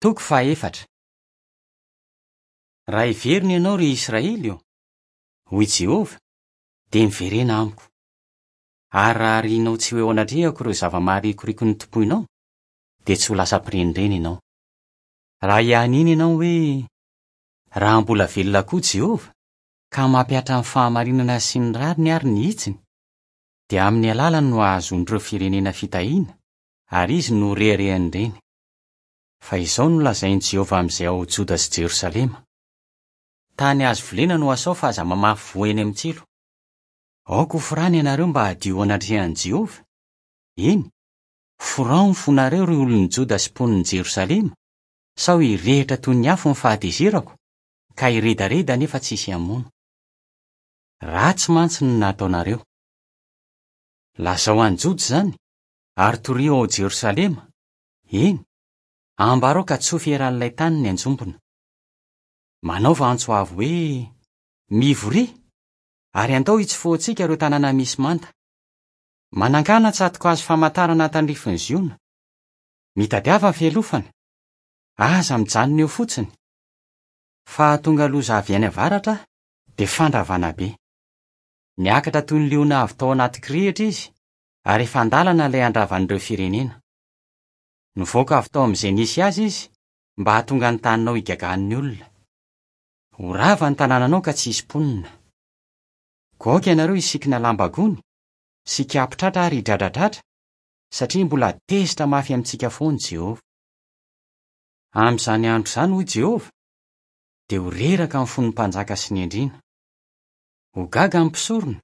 Toko fahaefatra. Raha hiverina ianao, ry Israely ô, hoy Jehovah, dia miverena amiko. Ary raha arianao tsy ho eo anatrehako ireo zava-maharikoriko notompoinao, dia tsy ho lasa mpirenireny ianao. Raha hianiana ianao hoe, Raha mbola velona koa Jehovah, ka mampihatra ny fahamarinana sy ny rariny ary ny hitsiny, dia amin'ny alalany no hahazoan'ireo firenena fitahiana, ary izy no ho reharehan'ireny. Fa izao no lazain'i Jehovah amin'izay ao Joda sy Jerosalema, Tany azo volena no asao fa aza mamafy voa eny amin'ny tsilo. Aoka hoforana ianareo mba hadio eo anatrehan'i Jehovah. Eny, forao ny fonareo, ry olon'i Joda sy mponin'i Jerosalema, sao hirehitra toy ny afo ny fahatezerako, ka hiredareda nefa tsy hisy hamono. Ratsy mantsy ny nataonareo. Lazao any Joda izany, ary torio ao Jerosalema, Eny, ambarao ka tsofy eran'ilay tany ny anjombona. Manaova antso avo hoe, Mivoria, ary andao hitsofohantsika ireo tanàna misy manda. Manangàna tsato-kazo famantarana tandrifin'i Ziona. Mitadiava fialofana. Aza mijanona eo fotsiny. Fa hahatonga loza avy any avaratra aho, dia fandravana be. Niakatra toy ny liona avy tao anaty kirihitra izy, ary efa an-dalana ilay handravan'ireo firenena. Nivoaka avy tao amin'izay nisy azy izy mba hahatonga ny taninao higagan'ny olona. Ho rava ny tanànanao ka tsy hisy mponina. Koa aoka ianareo hisikina lamba gony sy hikapo-tratra ary hidradradradra, satria mbola tezitra mafy amintsika foana Jehovah. Amin'izany andro izany, hoy Jehovah, dia ho reraka ny fon'ny mpanjaka sy ny andriana. Ho gaga ny mpisorona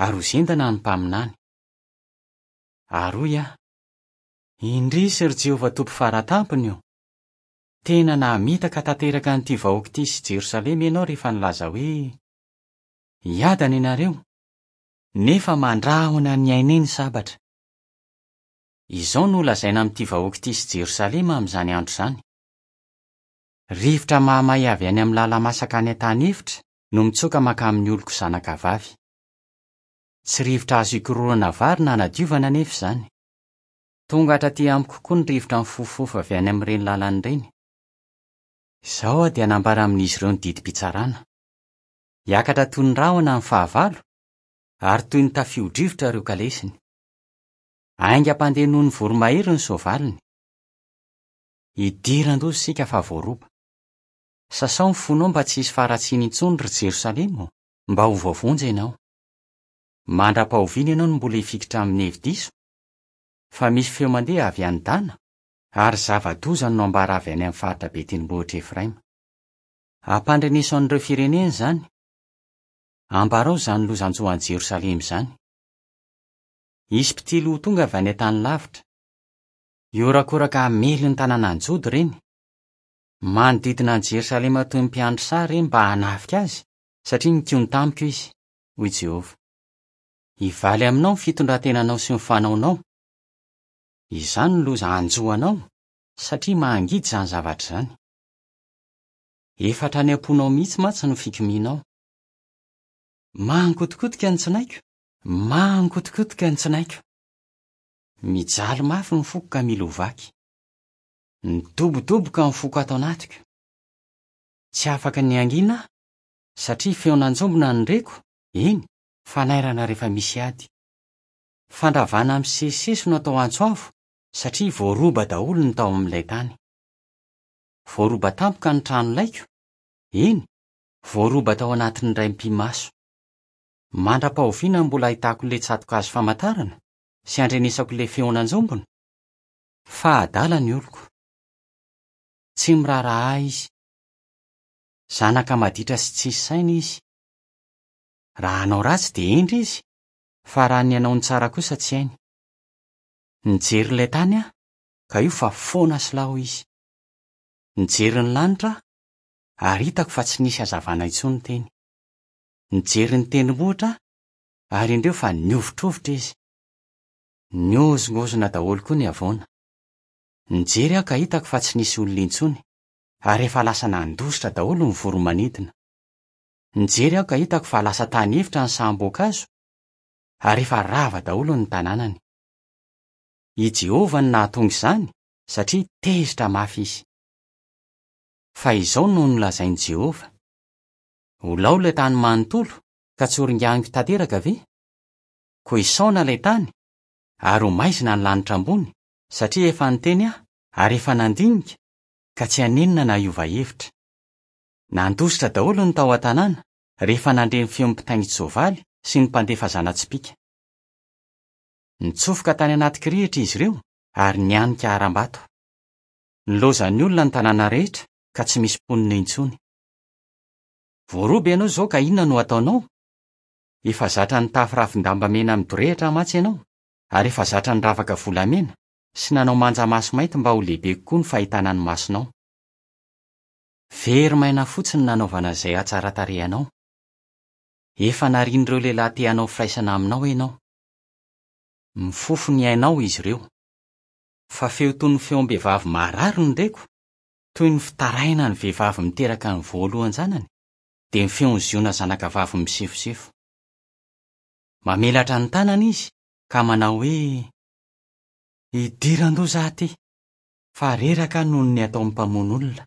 ary ho zendana ny mpaminany. Ary hoy aho, Indrisy, ry Jehovah Tompo Fara Tampony ô! Tena namitaka tanteraka an'ity vahoaka ity sy Jerosalema ianao rehefa nilaza hoe, 'Hiadana ianareo', nefa mandrahona ny ainay ny sabatra. Izao no holazaina amin'ity vahoaka ity sy Jerosalema amin'izany andro izany, Rivotra mahamay avy any amin'ny lala-masaka any an-tany efitra no mitsoka mankamin'ny oloko zanakavavy. Tsy rivotra azo ikororana vary na anadiovana anefa izany. Tonga hatraty amiko koa ny rivotra mifofofofo avy any amin'ireny lalana ireny. Izao aho dia hanambara amin'izy ireo ny didim-pitsarana. Hiakatra toy ny rahona ny fahavalo, ary toy ny tafio-drivotra ireo kalesiny. Haingam-pandeha noho ny voromahery ny soavaliny. Hidiran-doza isika fa voaroba. Sasao ny fonao mba tsy hisy faharatsiana intsony, ry Jerosalema ô, mba ho voavonjy ianao. Mandra-pahoviana ianao no mbola hifikitra amin'ny hevi-diso? Fa misy feo mandeha avy any Dana, ary zava-doza no nambara avy any amin'ny faritra be tendrombohitr'i Efraima. Ampandreneso an'ireo firenena izany. Ambarao izany loza hanjo an'i Jerosalema izany. Hisy mpitily ho tonga avy any an-tany lavitra. Hihorakoraka hamely ny tanànan'i Joda ireny. Manodidina an'i Jerosalema toy ny mpiandry saha ireny mba hanafika azy, satria nikomy tamiko izy, hoy Jehovah. Hivaly aminao ny fitondran-tenanao sy ny fanaonao. Izany no loza hanjo anao, satria mangidy izany zavatra izany. Efa hatrany am-ponao mihitsy mantsy no fikomianao. Mangotokotoka ny tsinaiko, mangotokotoka ny tsinaiko. Mijaly mafy ny foko ka mila ho vaky. Midobodoboka ny foko ato anatiko. Tsy afaka ny hangina aho, satria feon'anjombona no reko, eny, Fanairana rehefa misy ady. Fandravana misesisesy no atao antso avo satria voaroba daholo ny tao amin'ilay tany. Voaroba tampoka ny trano laiko, eny, voaroba tao anatin'ny indray mipi-maso. Mandra-pahoviana no mbola ahitako ilay tsato-kazo famantarana sy andrenesako ilay feon'anjombona? Fa adala ny oloko. Tsy miraharaha ahy izy. Zanaka maditra sy tsisy saina izy. Raha hanao ratsy dia hendry izy, fa raha ny hanao ny tsara kosa tsy hainy. Nijery ilay tany aho, ka io fa foana sy lao izy. Nijery ny lanitra aho, ary hitako fa tsy nisy hazavana intsony teny. Nijery ny tendrombohitra aho, ary indreo fa nihovitrovitra izy. Nihozongozona daholo koa ny havoana. Nijery aho ka hitako fa tsy nisy olona intsony, ary efa lasa nandositra daholo ny voro-manidina. Nijery aho ka hitako fa lasa tany efitra ny saham-boankazo ary efa rava daholo ny tanànany. I Jehovah no nahatonga izany satria tezitra mafy izy. Fa izao no nolazain'i Jehovah, Ho lao ilay tany manontolo, ka tsy horinganiko tanteraka ve? Koa hisaona ilay tany, ary ho maizina ny lanitra ambony, satria efa niteny aho, ary efa nandinika, ka tsy hanenina na hiova hevitra. Nandositra daholo ny tao an-tanàna, rehefa nandre ny feon'ny mpitaingin-tsoavaly sy ny mpandefa zana-tsipìka. Nitsofoka tany anaty kirihitra izy ireo, ary nianika harambato. Nilaozan'ny olona ny tanàna rehetra, ka tsy misy mponina intsony. Voaroba ianao izao ka inona no hataonao? Efa zatra nitafy ravin-damba mena midorehitra mantsy ianao, ary efa zatra niravaka volamena sy nanao manja maso mainty mba ho lehibe kokoa ny fahitana ny masonao. Very maina fotsiny nanaovana izay hatsaran-tarehy anao. Efa narian'ireo lehilahy te hanao firaisana aminao ianao. Mifofo ny ainao izy ireo. Fa feo toy ny feom-behivavy marary no reko, toy ny fitarainan'ny vehivavy miteraka ny voalohan-janany, dia ny feon'i Ziona zanakavavy misefosefo. Mamelatra ny tanany izy ka manao hoe, Idiran-doza aho ity, fa reraka aho noho ny ataon'ny mpamono olona.